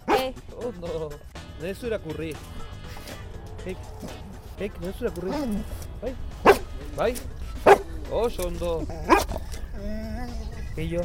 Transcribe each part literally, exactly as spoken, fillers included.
Eh, Ondo, nezu irakurri. Keik, keik, nezu irakurri. Bai, bai, oso ondo. Keio.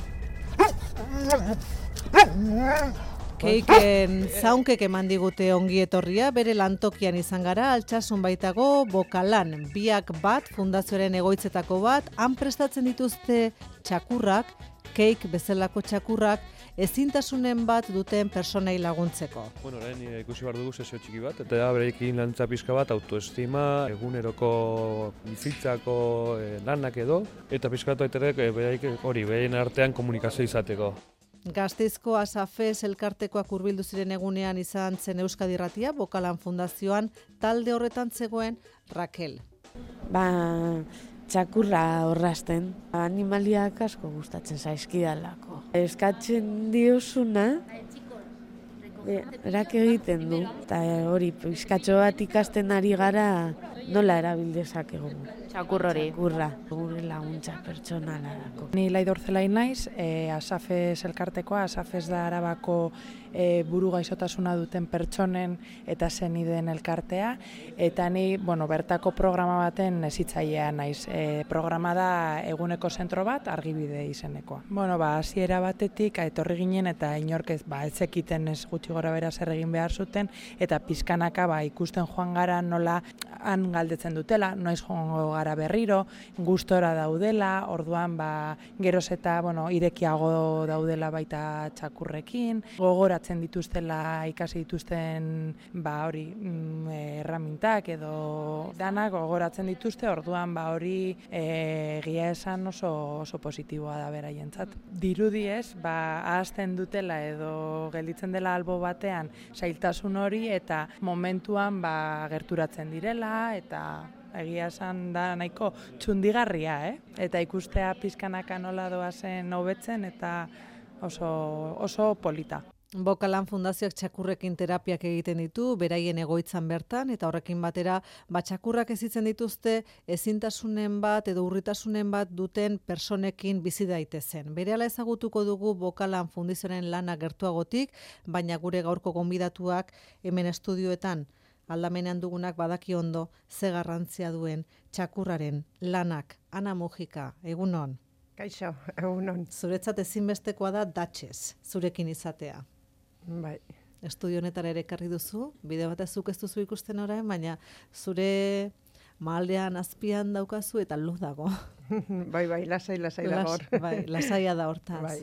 Keiken zaunkek eman digute ongi etorria, bere lantokian izan gara, Altsasun baitago Bokalan, biak bat, fundazioaren egoitzetako bat, han prestatzen dituzte txakurrak, keik bezalako txakurrak, ezintasunen bat duten personei laguntzeko. Bueno, orain ikusi behar dugu sesio txiki bat, eta berekin lantza pixka bat, autoestima, eguneroko bizitzako eh, lanak edo, eta pixka bat baiterek eh, beraik hori, beraien artean komunikazio izateko. Gasteizko Asafes elkartekoak hurbildu ziren egunean izan zen Euskadi Irratia, Bokalan Fundazioan talde horretan zegoen Raquel. Ba, txakurra orrasten, animaliak asko gustatzen zaizkidalako. Eskatzen diozuna, erak egiten du, eta hori pizkatxo bat ikasten ari gara nola erabildezakegu. txakur hori. Txakurra, gure laguntza pertsonalarako. Ni Laidor Zelain naiz, e, Asafes elkartekoa, Asafes da Arabako e, buru gaixotasuna duten pertsonen eta senideen elkartea, eta ni, bueno, bertako programa baten hezitzailea naiz. E, programa da eguneko zentro bat, Argibide izenekoa. Bueno, ba, hasiera batetik etorri ginen eta inork ez, ba, ez zekiten ez gutxi gora bera zer egin behar zuten, eta pizkanaka ba, ikusten joan gara nola han galdetzen dutela, noiz joango gara berriro, gustora daudela, orduan ba, geroz eta bueno, irekiago daudela baita txakurrekin, gogoratzen dituztela ikasi dituzten ba, hori mm, erramintak edo danak gogoratzen dituzte, orduan ba, hori e, egia esan oso, oso positiboa da beraientzat. Dirudiez, ba, ahazten dutela edo gelditzen dela albo batean zailtasun hori eta momentuan ba, gerturatzen direla eta egia esan da nahiko txundigarria, eh? Eta ikustea pizkanaka nola doazen hobetzen eta oso, oso polita. Bokalan Fundazioak txakurrekin terapiak egiten ditu, beraien egoitzan bertan, eta horrekin batera, ba, txakurrak ezitzen dituzte ezintasunen bat edo urritasunen bat duten personekin bizi daitezen. Berehala ezagutuko dugu Bokalan Fundazioaren lana gertuagotik, baina gure gaurko gonbidatuak hemen estudioetan aldamenean dugunak badaki ondo ze garrantzia duen txakurraren lanak. Ana Mujika, egunon. Kaixo, egunon. Zuretzat ezinbestekoa da datxez, zurekin izatea. Bai. Estudio honetara ere ekarri duzu, bide batez zuk ez duzu ikusten orain, baina zure mahaldean azpian daukazu eta luz dago. Bai, bai, lasai, lasai Las, dago hor. Bai, lasaia da hortaz. Bai.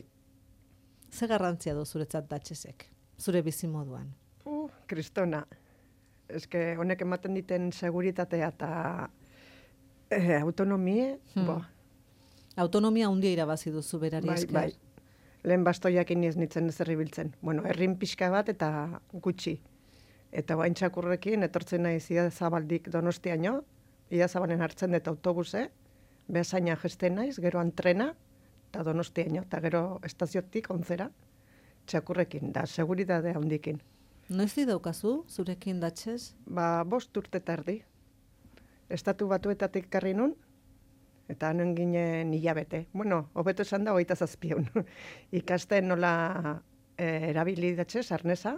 Ze garrantzia du zuretzat datxezek, zure bizimoduan? Uh, kristona. Eske honek ematen diten seguritatea eta eh, autonomie, Hmm. bo. Autonomia handia irabazi duzu berari Bai, esker. bai. Lehen bastoiakin ez nitzen ez erribiltzen. Bueno, errin pixka bat eta gutxi. Eta bain txakurrekin etortzen naiz Idazabaldik Donostiaino, Idazabalen hartzen dut autobuse, behasaina jesten naiz, gero antrena, eta Donostiaino, eta gero estaziotik onzera, txakurrekin, da seguridadea handikin. Noiz di daukazu zurekin datxez? Ba, bost urte tardi. Estatu Batuetatik karri nun, eta hanen ginen hilabete. Bueno, hobeto esan da hogeita zazpion. Ikasten nola e, erabili datxez, arnesa,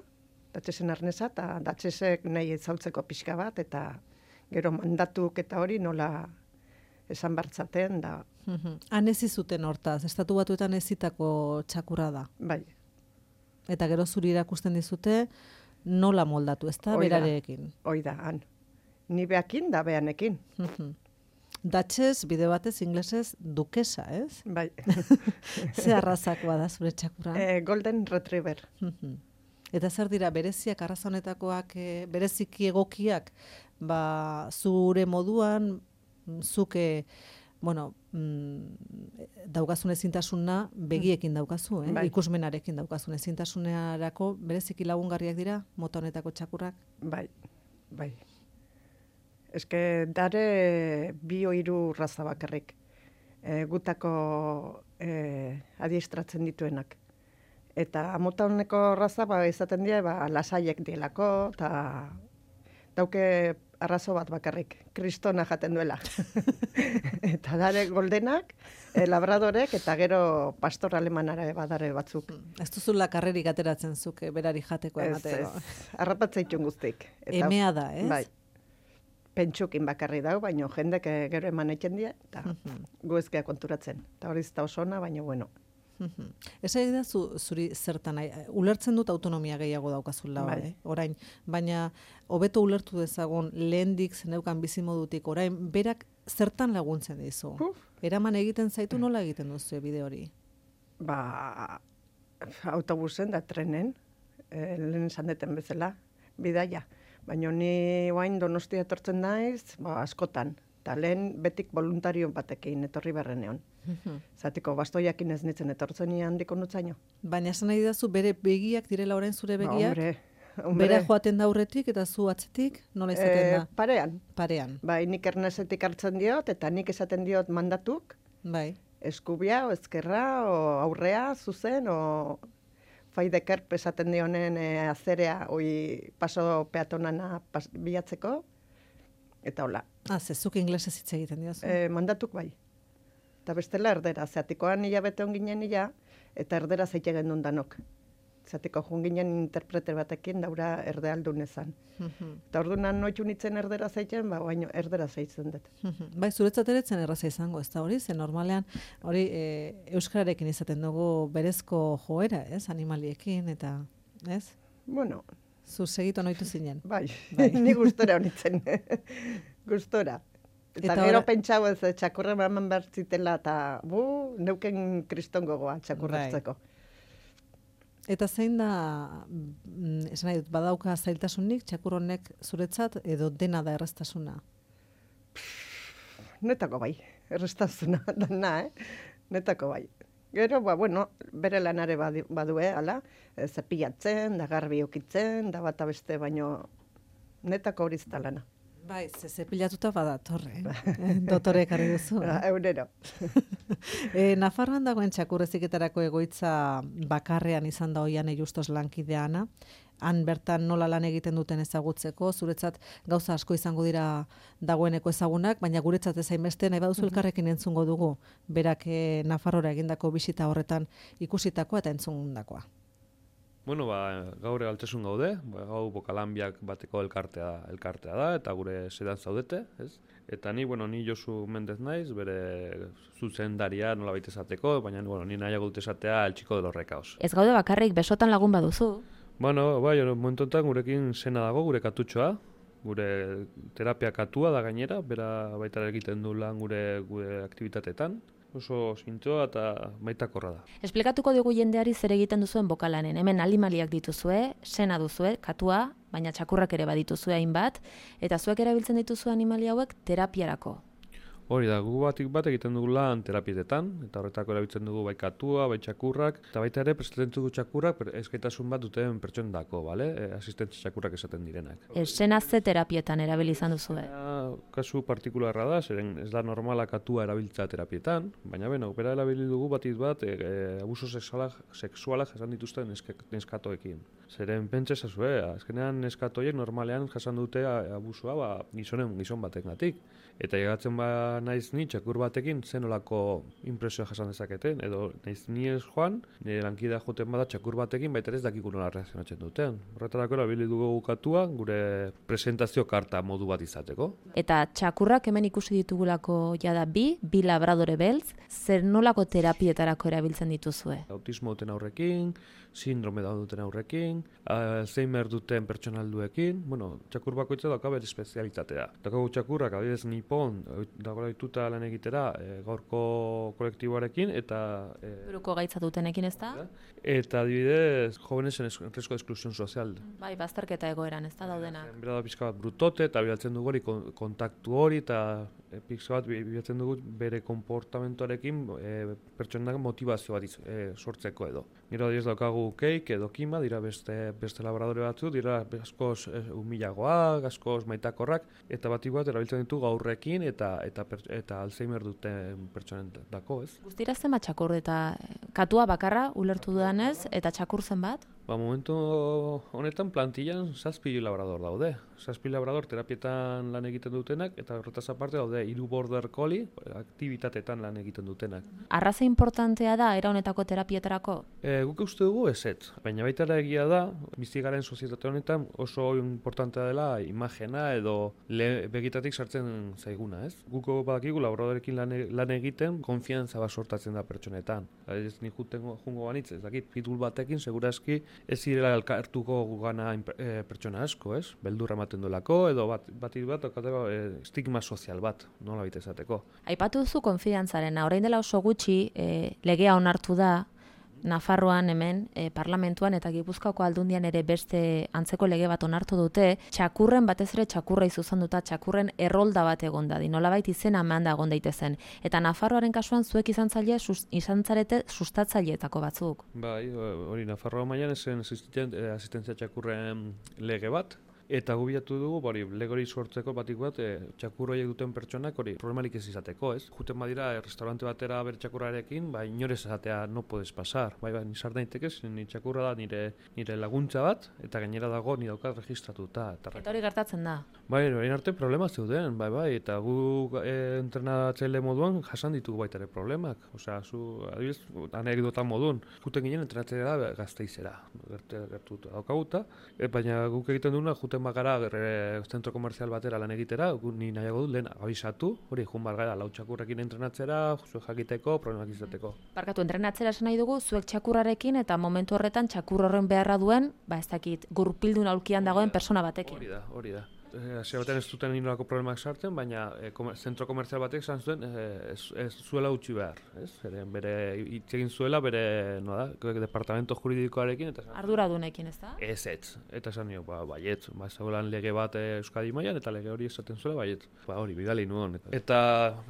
datxezen arnesa, eta datxezek nahi ezautzeko pixka bat, eta gero mandatuk eta hori nola esan bartzaten, da, Han ez izuten hortaz, Estatu Batuetan ezitako txakurra da. bai. Eta gero zuri erakusten dizute nola moldatu, ezta, Hoi da. berarekin. Hoi da, han. Ni beakin da beanekin. Datxez, bide batez, inglesez, dukesa, ez? Bai. Ze arrazakoa da zure txakurra? e, Golden Retriever. Eta zer dira, bereziak, arraza honetakoak, e, bereziki egokiak, ba, zure moduan, zuke, bueno, mm, daukazun ezintasuna begiekin daukazu, eh? Bai. Ikusmenarekin daukazun ezintasunerako bereziki lagungarriak dira mota honetako txakurrak. Bai, bai. Eske dare bi o hiru raza bakarrik. E, gutako e, adiestratzen dituenak. Eta mota honeko raza ba, izaten dira ba, lasaiek dielako, eta dauke arrazo bat bakarrik, kristona jaten duela. Eta dare goldenak, e, labradorek, eta gero pastor alemanara badare batzuk. Ez duzula karrerik ateratzen zuke berari jateko Ez, emateko. ez, arrapatzaitun guztik. Eta, Emea da, ez? Bai, pentsukin bakarri dago, baina jendek eh, gero eman eitzen dira, eta gu ez gea konturatzen. Eta hori zta osona, baina bueno. Ez da zu, zuri zertan, nahi, ulertzen dut autonomia gehiago daukazula, Bai. eh? Orain, baina hobeto ulertu dezagun lehendik zeneukan bizimodutik, orain berak zertan laguntzen dizu? Uf. Eraman egiten zaitu nola egiten duzu bide hori? Ba, autobusen da trenen, eh, lehen esan deten bezala, bidaia. Baina ni oain Donostia etortzen naiz, ba, askotan. Eta lehen betik voluntario batekin etorri berreneon. Zatiko bastoiakin ez nitzen etortzen ni handiko nutzaino. Baina esan nahi dazu bere begiak direla orain zure Ba, begiak? hombre, hombre. Bera joaten da aurretik eta zu atzetik, nola izaten Eh, da? parean. Parean, Bai, nik ernezetik hartzen diot, eta nik esaten diot mandatuk, bai. eskubia, o ezkerra, o aurrea, zuzen, o faideker esaten dionen e, azerea, oi paso peatonana pas, bilatzeko, eta hola. Ah, zezuk inglesez hitz egiten diozu. E, mandatuk bai. Eta bestela erdera, zeatikoan nila bete ginen nila, eta erdera zeite gendun danok. Zatiko joan ginen interprete batekin daura erdealdun ezan. Eta orduan noitu nitzen erdera zeitzen, ba, baino erdera zeitzen dut. Bai, zuretzat ere zen erraza izango, ez da hori? Ze normalean hori e, euskararekin izaten dugu berezko joera, ez? Animaliekin eta, ez? Bueno, Zu segitu noitu zinen. bai, Bai. ni gustora honitzen. Gustora. Eta, Eta gero ora- pentsau ez eh, txakurra eman behar zitela, eta bu, neuken kriston gogoa txakurratzeko. Eta zein da, mm, esan nahi dut, badauka zailtasunik txakur honek zuretzat edo dena da erraztasuna? Netako bai, errestazuna dana, eh? Netako bai. Gero, ba, bueno, bere lanare badi- badue, ala, e, zepilatzen, da garbi ukitzen, da bata beste, baino netako hori zita lana. Bai, ze zepilatuta badatorre, eh? Dotore ekarri duzu. Ba, eunero. E, Nafarroan dagoen txakurreziketarako egoitza bakarrean izan da oian justos lankideana. Han bertan nola lan egiten duten ezagutzeko, zuretzat gauza asko izango dira dagoeneko ezagunak, baina guretzat ez hainbeste nahi baduzu elkarrekin entzungo dugu, berak e, Nafarrora egindako bisita horretan ikusitakoa eta entzundakoa. Bueno, ba, gaur altasun gaude, ba, gau Bokalanbiak bateko elkartea elkartea da, eta gure sedan zaudete, ez? Eta ni, bueno, ni Josu Mendez naiz, bere zuzendaria nola baita esateko, baina, bueno, ni nahiago dut esatea el chico de los recaos. Ez gaude bakarrik besotan lagun baduzu. Bueno, bai, momentu honetan gurekin sena dago, gure katutxoa, gure terapia katua da gainera, bera baita egiten du lan gure, gure aktibitateetan. Oso zintzoa eta maitakorra da. Esplikatuko dugu jendeari zer egiten duzuen bokalanen. Hemen animaliak dituzue, sena duzue, katua, baina txakurrak ere badituzue hainbat, eta zuek erabiltzen dituzue animalia hauek terapiarako. Hori da, gu batik bat egiten dugu lan terapietetan, eta horretako erabiltzen dugu bai katua, bai txakurrak, eta baita ere prestatzen dugu txakurrak eskaitasun bat duten pertsonendako, bale? E, asistentzi txakurrak esaten direnak. E, sena ze terapietan erabili izan duzue? Baina, kasu partikularra da, zeren ez da normala katua erabiltza terapietan, baina beno, bera erabili dugu batik bat e, e, abuso sexualak, sexualak jasan dituzten neske, neskatoekin. Zeren pentsa ezazue, azkenean neskatoiek normalean jasan dute abusua ba, gizonen gizon batengatik. Eta llegatzen ba naiz ni txakur batekin zenolako impresioa jasan dezaketen, edo naiz ni ez joan, nire lankidea joten bada txakur batekin, baita ez dakiku nola reakzionatzen duten. Horretarako erabili dugu katua gure presentazio karta modu bat izateko. Eta txakurrak hemen ikusi ditugulako jada bi, bi labradore beltz, zer nolako terapietarako erabiltzen dituzue? Autismo duten aurrekin, sindrome da duten aurrekin, Alzheimer duten pertsonalduekin, bueno, txakur bakoitza dauka bere espezialitatea. Daukagu txakurrak, adibidez nipon, dagoela dituta lan egitera e, gaurko kolektiboarekin, eta... E, Buruko gaitza dutenekin ez da? Eta adibidez, jóvenes en riesgo de exclusión social. Bai, bazterketa egoeran ez da daudenak. Bera da pixka bat brutote, eta bilatzen dugu hori kontaktu hori, eta e, pixka bat bilatzen dugu bere konportamentoarekin e, pertsonak motivazio bat iz, e, sortzeko edo. Gero adibidez daukagu keik edo kima, dira beste, beste labradore batzu, dira askoz e, humilagoak, askoz maitakorrak, eta bat bat erabiltzen ditu gaurrekin eta eta eta Alzheimer duten pertsonen dako, ez? Guztira zenbat txakur eta katua bakarra ulertu dudanez eta txakur zenbat? Ba, momentu honetan plantillan zazpi labrador daude. Zazpi labrador terapietan lan egiten dutenak, eta horretaz aparte daude hiru border collie aktibitatetan lan egiten dutenak. Arraza importantea da era honetako terapietarako? E, guk uste dugu ezetz, baina baita ere egia da, bizi garen sozietate honetan oso importantea dela imagena edo le, begitatik sartzen zaiguna, ez? Guko badakigu labradorekin lan, lan egiten konfiantza bat sortatzen da pertsonetan. Ez nik jutengo jungo banitz, ez dakit, pitbull batekin segurazki ez zirela elkartuko gugana e, pertsona asko, ez? Beldurra ematen duelako, edo bat, bat, bat, bat e, estigma sozial bat, nola bite esateko. Aipatu duzu konfiantzaren, orain dela oso gutxi e, legea onartu da, Nafarroan hemen, e, parlamentuan eta Gipuzkoako aldundian ere beste antzeko lege bat onartu dute, txakurren batez ere txakurra izuzanduta, txakurren errolda bat egon da, nolabait izena eman da egon daitezen. Eta Nafarroaren kasuan zuek izan zaile, sus, izan zarete sustatzaileetako batzuk. Bai, hori Nafarroa mailan esen asistentzia txakurren lege bat, eta gubilatu dugu, hori, legori sortzeko batik bat, e, txakurroiek duten pertsonak, hori, problemalik ez izateko, ez? Juten badira, e, restaurante batera bere txakurrarekin, bai, inorez esatea no puedes pasar, bai, bai, nizar daitekez, ni txakurra da nire, nire laguntza bat, eta gainera dago, ni daukat registratuta. Eta, eta hori gertatzen da? Bai, hori arte problema zeuden, bai, bai, eta gu e, entrenatzaile moduan jasan ditugu baita ere problemak, osea, zu, adibidez, anekdota modun, juten ginen entrenatzailea da Gasteizera, gertuta daukaguta, e, baina guk egiten duguna, juten bagara e, zentro komerzial batera lan egitera, ni nahiago dut lehen abisatu, hori jun bargara lau txakurrekin entrenatzera, zuek jakiteko, problemak izateko. Barkatu, entrenatzera esan nahi dugu, zuek txakurrarekin eta momentu horretan txakur horren beharra duen, ba ez dakit, gurpildun aulkian dagoen persona batekin. Hori da, hori da. Hasi batean ez duten inolako problemak sartzen, baina e, komer, zentro komerzial batek esan zuen e, ez, ez zuela utzi behar, ez? Eren bere hitz egin zuela bere, no da, departamento juridikoarekin eta arduradunekin, ez da? Ez, ez. Eta esan nio, ba, baiet, ba, zegoelan lege bat Euskadi mailan eta lege hori esaten zuela baiet. Ba, hori, bidali nuen. Eta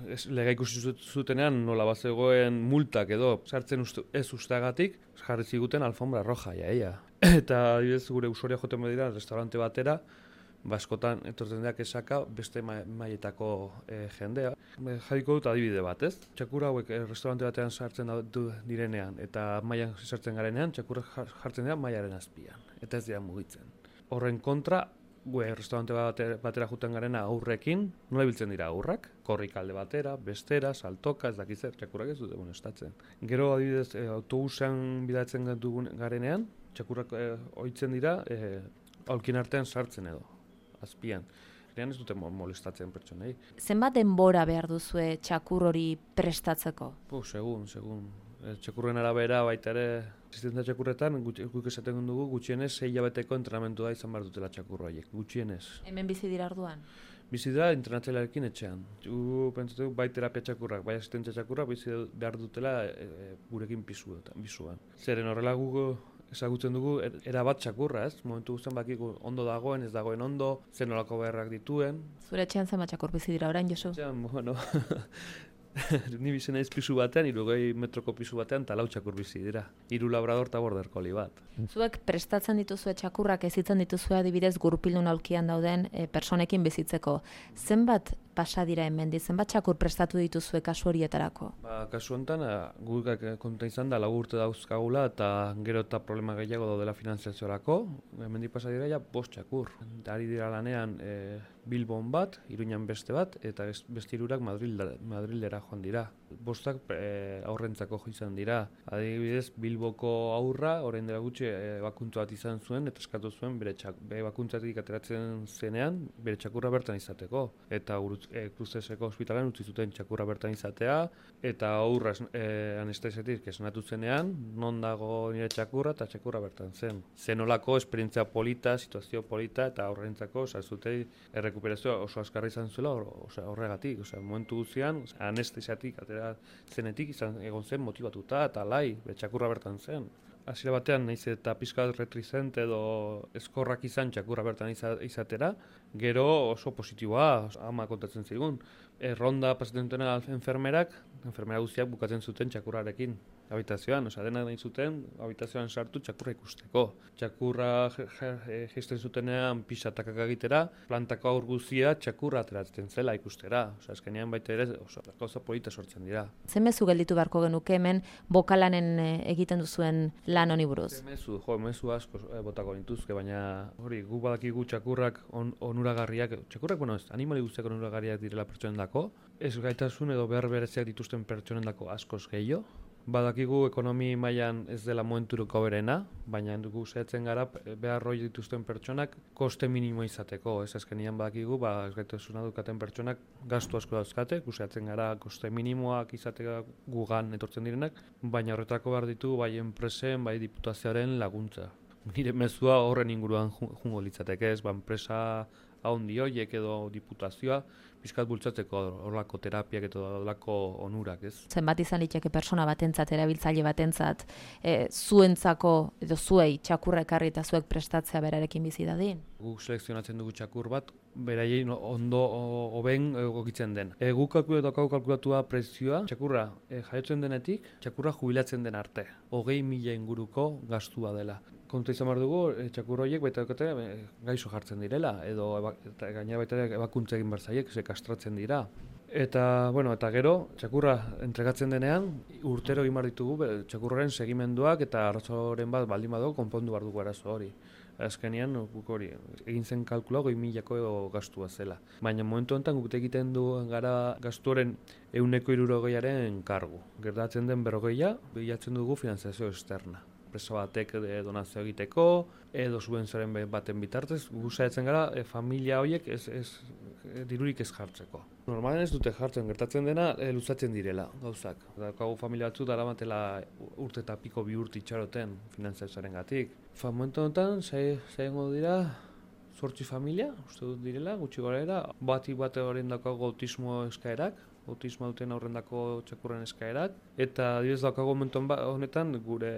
ez, lege ikusi zutenean nola bat zegoen multak edo sartzen uste, ez usteagatik, jarri ziguten alfombra roja, jaia. Eta adibidez gure usuaria joten badira restaurante batera, baskotan etortzen deak esaka beste mailetako e, jendea. Jarriko dut adibide bat, ez? Txakurra hauek e, restaurante batean sartzen du direnean eta mailan sartzen garenean, txakurra jartzen dira mailaren azpian, eta ez dira mugitzen. Horren kontra, gue restaurante batera, batera juten garena aurrekin, nola biltzen dira aurrak? Korrikalde batera, bestera, saltoka, ez dakitzer, txakurrak ez dute estatzen. Gero adibidez, e, autobusean bidatzen dugun garenean, txakurrak e, ohitzen dira, e, aulkin artean sartzen edo. Azpian. Lehan ez dute molestatzen pertsonei. Zenbat denbora behar duzue txakur hori prestatzeko? Puh, segun, segun. Txakurren arabera baita ere, asistentzia txakurretan, guk esaten dugu, gutxienez sei hilabeteko entrenamentu da izan behar dutela txakurroiek, gutxienez. Hemen bizi dira orduan? Bizi dira entrenatzailearekin etxean. Gu pentsatu bai terapia txakurrak, bai asistentzia txakurrak bizi behar dutela e, e, gurekin pisuan. Zeren horrela gu ezagutzen dugu era bat txakurra, ez? Momentu guztien bakigu ondo dagoen, ez dagoen ondo, zen nolako beharrak dituen. Zure etxean zenbat txakur bizi dira orain, Josu? Etxean, bueno, ni bizi naiz pisu batean, hirurogei metroko pisu batean, eta lau txakur bizi dira. Hiru labrador eta border collie bat. Zuek prestatzen dituzue txakurrak, ezitzen dituzue adibidez gurpildun aulkian dauden e, personekin bizitzeko. Zenbat pasa dira hemendi, zenbat txakur prestatu dituzue kasu horietarako? Ba, kasu honetan, guk konta izan da, lau urte dauzkagula, eta gero eta problema gehiago daudela finanziaziorako. Hemendi pasa dira ja bost txakur. Ari dira lanean e, Bilbon bat, Iruñan beste bat, eta beste hirurak Madrilera joan dira. Bostak e, aurrentzako jo izan dira. Adibidez, Bilboko aurra, orain dela gutxi e, bakuntza bat izan zuen, eta eskatu zuen bere, txak, bere bakuntzatik ateratzen zenean, bere txakurra bertan izateko. Eta e, Kruzeseko ospitalean utzi zuten txakurra bertan izatea, eta aurra e, anestesetik esnatu zenean, non dago nire txakurra, eta txakurra bertan zen. Zenolako esperientzia polita, situazio polita, eta aurrentzako, oza, ez dute errekuperazioa oso azkarra izan zuela horregatik. Oza, momentu guzian, anestesiatik atera zenetik izan egon zen motibatuta eta lai, txakurra bertan zen. Hasiera batean naiz eta pixka retrizent edo eskorrak izan txakurra bertan izatera, gero oso positiboa, ama kontatzen zigun. Erronda pasatzen dutena enfermerak, enfermera guztiak bukatzen zuten txakurrarekin. habitazioan, osea, dena nahi zuten, habitazioan sartu txakurra ikusteko. Txakurra jisten zutenean pixatakak egitera, plantako aur guzia txakurra ateratzen zela ikustera. Osea, azkenean baita ere, oso, gauza polita sortzen dira. Ze mezu gelditu beharko genuke hemen bokalanen egiten duzuen lan honi buruz? Ze mezu, jo, mezu asko eh, botako nintuzke, baina hori, gu badakigu txakurrak on, onuragarriak, txakurrak, bueno, ez, animali guztiak onuragarriak direla pertsonendako, ez gaitasun edo behar bereziak dituzten pertsonendako askoz gehiago. Badakigu ekonomi mailan ez dela momenturuko berena, baina dugu zehatzen gara behar hori dituzten pertsonak koste minimo izateko. Ez azkenian badakigu, ba, ez gaitasuna dukaten pertsonak gastu asko dauzkate, guzeatzen gara koste minimoak izateka gugan etortzen direnak, baina horretako behar ditu bai enpresen, bai diputazioaren laguntza. Nire mezua horren inguruan jungo litzateke ez, ba, enpresa haundi horiek edo diputazioa, pixkat bultzatzeko horlako terapiak eta horlako onurak, ez? Zenbat izan litzake pertsona batentzat, erabiltzaile batentzat, e, zuentzako edo zuei txakurra ekarri eta zuek prestatzea berarekin bizi dadin? Guk selekzionatzen dugu txakur bat, beraien ondo hoben egokitzen den. E, guk kalkulatu kalkulatua prezioa, txakurra e, jaiotzen denetik, txakurra jubilatzen den arte. Hogei mila inguruko gastua dela. Kontu izan behar dugu, e, txakur horiek baita dukate e, gaizo jartzen direla, edo eba, eta gainera baita ebakuntza egin behar zaiek, ze kastratzen dira. Eta, bueno, eta gero, txakurra entregatzen denean, urtero egin behar ditugu, be, txakurraren segimenduak eta arazoren bat baldin badu konpondu behar dugu arazo hori. Azkenean, guk hori, egin zen kalkula goi milako gastua zela. Baina momentu honetan guk egiten du gara gastuaren ehuneko hirurogeiaren kargu. Gertatzen den berrogeia, bilatzen dugu finanziazio externa. Enpresa batek donazio egiteko, edo subentzioaren baten bitartez, gu saiatzen gara e, familia horiek ez, ez, e, dirurik ez jartzeko. Normalen ez dute jartzen, gertatzen dena e, luzatzen direla gauzak. Daukagu familia batzu daramatela urte eta piko bi urte itxaroten finanziazioaren gatik. Fa, momentu honetan, zaiengo dira zortzi familia, uste dut direla, gutxi gorera, bati bate horien daukagu autismo eskaerak, autismo duten aurrendako txakurren eskaerak, eta adibidez daukago momentu honetan gure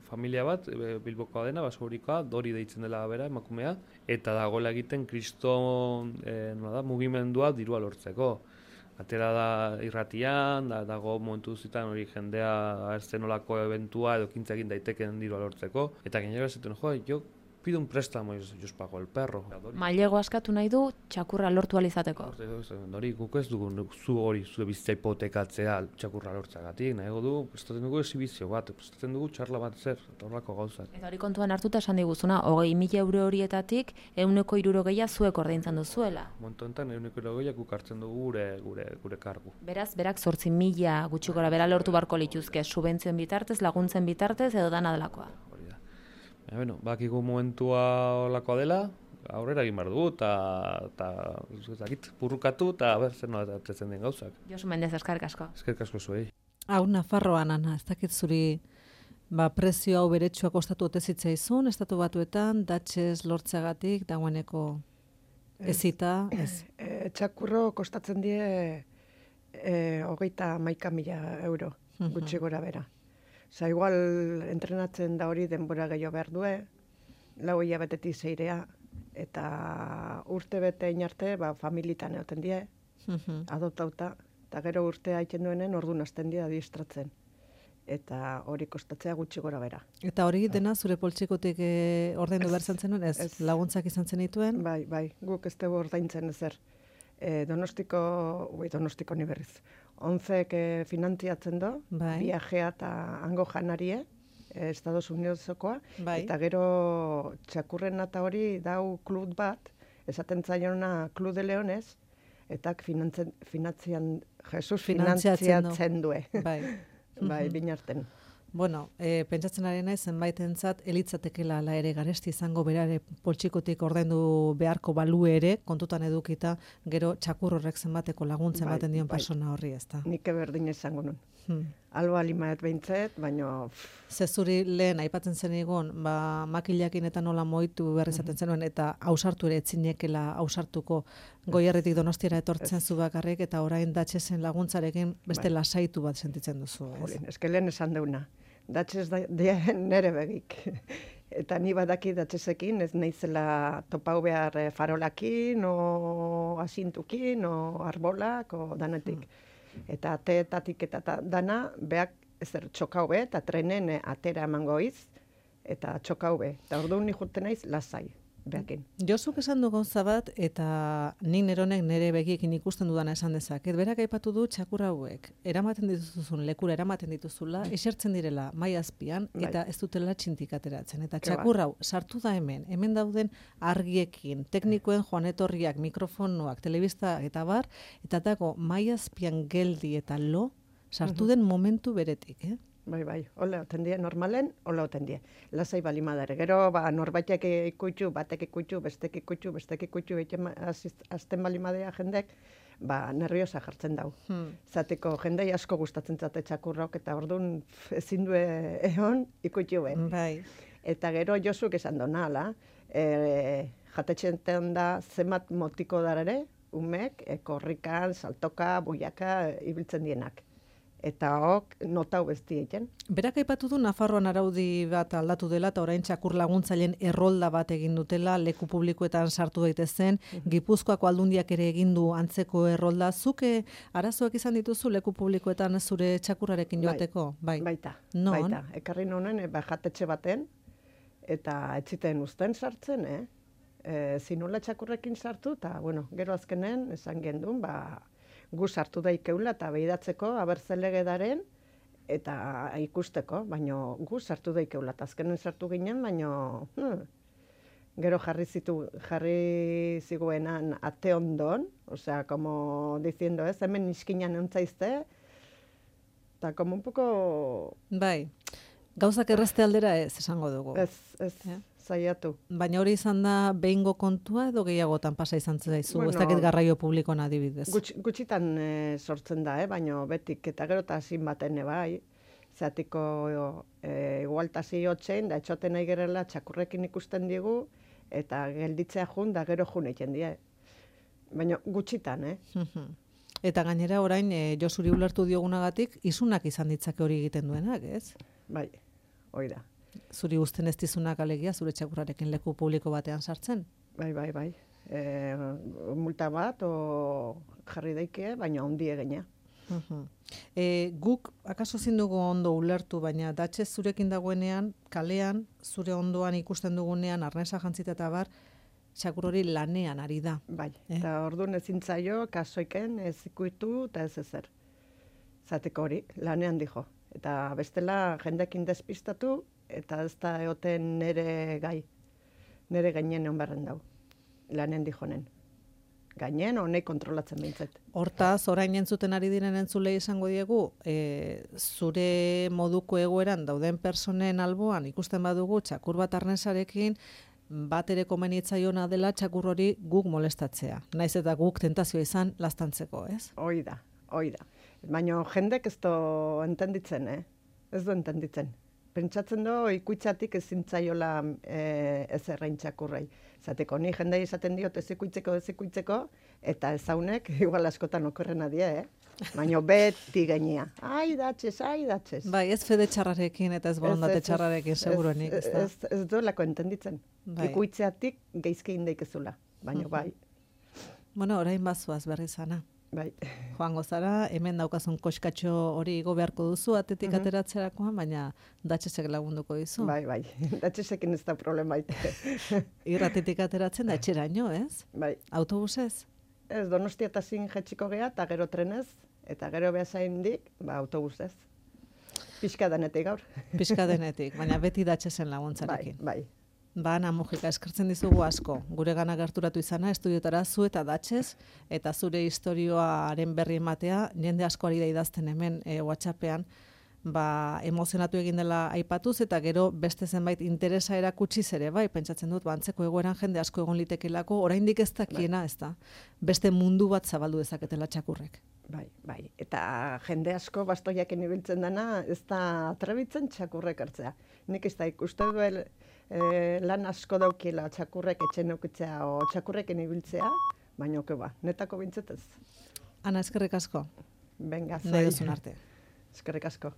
familia bat, Bilbokoa dena, basaurikoa, Dori deitzen dela bera, emakumea, eta dagoela egiten kriston e, nola da, mugimendua dirua lortzeko. Atera da irratian, da, dago momentu zitan hori jendea agertzen nolako eventua edo kintza egin daiteken dirua lortzeko, eta gainera esaten, jo, jo, pido un préstamo, yo os pago el perro. Mailego askatu nahi du txakurra lortu alizateko. Hori, guk ez dugu zu hori, zure bizitza hipotekatzea txakurra lortzagatik, nahiago du, prestatzen dugu esibizio bat, prestatzen dugu txarla bat zer, eta horrako gauzak. Eta hori kontuan hartuta esan diguzuna, hogei mila euro horietatik, ehuneko hirurogeia zuek ordaintzen duzuela. Momentu honetan, ehuneko hirurogeia guk hartzen dugu gure, gure, gure kargu. Beraz, berak zortzi mila gutxi gora bera lortu barko lituzke, subentzioen bitartez, laguntzen bitartez, edo dana delakoa. Ja, bueno, bakigu momentua olakoa dela, aurrera egin behar dugu, eta purrukatu, eta ber, zer nola atetzen den gauzak. Josu Mendez, eskerrik asko. Eskerrik asko zuei. Hau, Nafarroan, Ana, ez dakit zuri ba, prezio hau beretsua kostatu ote zitzaizun, estatu batuetan, datxez lortzeagatik, dagoeneko ezita, ez? E, txakurro kostatzen die e, hogeita hamaika mila euro, gutxi gora bera. Osa, igual entrenatzen da hori denbora gehiago behar due, lau hilabetetik zeirea, eta urte bete inarte, ba, familitan egoten die, adoptauta, eta gero urtea haiten duenen ordu nazten die adiestratzen. Eta hori kostatzea gutxi gora bera. Eta hori dena zure poltsikotik e, ordaindu behar zenuen, ez? ez? Laguntzak izan zen dituen? Bai, bai, guk ez dugu ordaintzen ezer. E, donostiko, ui, donostiko ni berriz. Onzek e, finantziatzen do, bai. Viajea eta hango janarie, e, Estados Unidosokoa, bai. Eta gero txakurren eta hori dau klub bat, esaten zaiona Club de Leones, eta finantzian, Jesus finantziatzen due. Bai, bai, binarten. Bueno, e, pentsatzen ari naiz zenbaitentzat elitzatekela ala ere garesti izango berare poltsikotik ordaindu beharko balu ere, kontutan edukita, gero txakur horrek zenbateko laguntzen bai, baten dion bai. Persona horri, ezta. Nik berdin izango nun. Hmm. Alba limaet behintzet, baina... Zezuri lehen aipatzen zen egon, ba, makilakin eta nola moitu berri zaten zenuen, eta ausartu ere etzinekela ausartuko Goierritik Donostiara etortzen zu bakarrik, eta orain datxezen laguntzarekin beste bai. Lasaitu bat sentitzen duzu. Ez? Jolin, eske lehen esan deuna. Datxez da, nere begik. Eta ni badaki datxezekin, ez naizela topau behar farolakin, o asintukin, o arbolak, o danetik. Hmm. Eta teetatik eta ta, dana, beak ezer txokau be, eta trenen eh, atera emango iz, eta txokau be. Eta orduan ni juten naiz lasai, behakin. Josuk esan du gauza bat, eta nik neronek nire begiekin ikusten dudana esan dezaket. Berak aipatu du txakur hauek, eramaten dituzun lekura eramaten dituzula, esertzen direla mai azpian, Bai. eta ez dutela txintik ateratzen. Eta Ke ba. txakur hau sartu da hemen, hemen dauden argiekin, teknikoen joan etorriak, mikrofonoak, telebista eta bar, eta dago mai azpian geldi eta lo, sartu den momentu beretik, eh? Bai, bai, hola oten die, normalen, hola oten die. Lasai bali madare. Gero, ba, norbaitek ikutxu, batek ikutxu, bestek ikutxu, bestek ikutxu, egiten azten bali madea jendek, ba, nerviosa jartzen dau. Hmm. Zateko jendei asko gustatzen zate txakurrok, eta orduan ezin du egon ikutxu be. Bai. Eta gero Josuk esan dona, ala, e, jatetxenten da zenbat motiko darare, umek, e, korrikan, saltoka, buiaka, e, ibiltzen dienak. Eta hok notau besti egiten. Berak aipatu du Nafarroan araudi bat aldatu dela eta orain txakur laguntzaileen errolda bat egin dutela, leku publikoetan sartu daitezen, Gipuzkoako aldundiak ere egin du antzeko errolda. Zuke arazoak izan dituzu leku publikoetan zure txakurrarekin joateko? Bai. Baita, Non? baita. Ekarri nonen, e, ba, jatetxe baten, eta etziten uzten sartzen, eh? E, zinula txakurrekin sartu, eta, bueno, gero azkenen, esan gendun, ba, gu sartu daikeula eta behidatzeko abertzelegedaren eta ikusteko, baino gu sartu daikeula. Eta azkenen sartu ginen, baino hmm, gero jarri zitu jarri ziguenan ate ondon, osea, como diciendo, ez, hemen iskinan eutzaizte, eta como un poco... Bai. Gauzak errazte aldera ez, esango dugu. Ez, ez, Ja. zaiatu. Baina hori izan da behingo kontua edo gehiagotan pasa izan zaizu, Bueno, ez dakit garraio publikoan adibidez. Gutx, gutxitan e, sortzen da, eh? Baina betik, eta gero eta zin baten bai, zatiko e, igualtasi hotxein, da etxoten nahi gerela txakurrekin ikusten digu, eta gelditzea jun, da gero jun egiten die. Baina gutxitan, eh? Eta gainera orain e, Josuri ulertu diogunagatik izunak izan ditzake hori egiten duenak, ez? Bai, hoi da. Zuri uzten ez dizunak alegia zure txakurrarekin leku publiko batean sartzen. Bai, bai, bai. E, multa bat, o jarri daike, baina ondi egina. E, guk akaso ezin dugu ondo ulertu, baina datxe zurekin dagoenean, kalean, zure ondoan ikusten dugunean, arnesa jantzita eta bar, txakur hori lanean ari da. Bai, Eh? eta orduan ezin zaio, kasoiken, ez ikuitu, eta ez ezer. Zateko hori, lanean dijo. Eta bestela jendekin despistatu, eta ez da eoten nere gai. Nere gainen egon berren dau. Lanen dijonen. Gainen, honei kontrolatzen behintzet. Hortaz, orain entzuten ari diren entzulei esango diegu, e, zure moduko egoeran dauden personen alboan ikusten badugu txakur bat arnesarekin, bat ere komenitzaiona dela txakur hori guk molestatzea. Naiz eta guk tentazioa izan lastantzeko, ez? Hoi da, hoi da. Baina jendek ez do entenditzen, eh? Ez du entenditzen. Pentsatzen do, ikuitzatik ezin zaiola e, ez errain txakurrei. Zateko, ni jendei esaten diot ez ikuitzeko, ez ikuitzeko, eta ezaunek, igual askotan okorrena die, eh? Baina beti gainia. Ai, datxez, ai, datxez. Bai, ez fede txarrarekin eta ez borondate Ez, ez, ez, txarrarekin, seguruenik, ez da? Ez, ez duelako entenditzen. Bai. Ikuitzeatik geizke indeikezula. Baina bai, Bueno, orain bazuaz berri zana. bai. Joango zara, hemen daukazun koskatxo hori igo beharko duzu, atetik Mhm. ateratzerakoan, baina datxesek lagunduko dizu. Bai, bai. Datxezekin ez da problema ite. Irratetik ateratzen da etxeraino, ez? Bai. Autobusez? Ez, Donostia eta zin jetxiko gea, eta gero trenez, eta gero behazaindik, ba, autobusez. Pixka danetik gaur. Pixka denetik, baina beti datxesen Bai, laguntzarekin. bai. Ba, Ana Mujika, eskertzen dizugu asko. Gure gana gerturatu izana, estudiotara zu eta datxez, eta zure historioaren berri ematea, jende askoari da idazten hemen e, WhatsAppean, ba, emozionatu egin dela aipatuz, eta gero beste zenbait interesa erakutsiz ere, bai, pentsatzen dut, ba, antzeko egoeran jende asko egon litekelako, oraindik ez dakiena, ez da, beste mundu bat zabaldu dezaketela txakurrek. Bai, bai. Eta jende asko bastoiaken ibiltzen dana, ez da atrebitzen txakurrek hartzea. Nik ez da ikuste duel e, lan asko daukiela txakurrek etxen eukitzea o txakurreken ibiltzea, baina oke ba, netako bintzetez. Ana, eskerrik asko, Venga, nahi zuei. duzun arte. Eskerrik asko.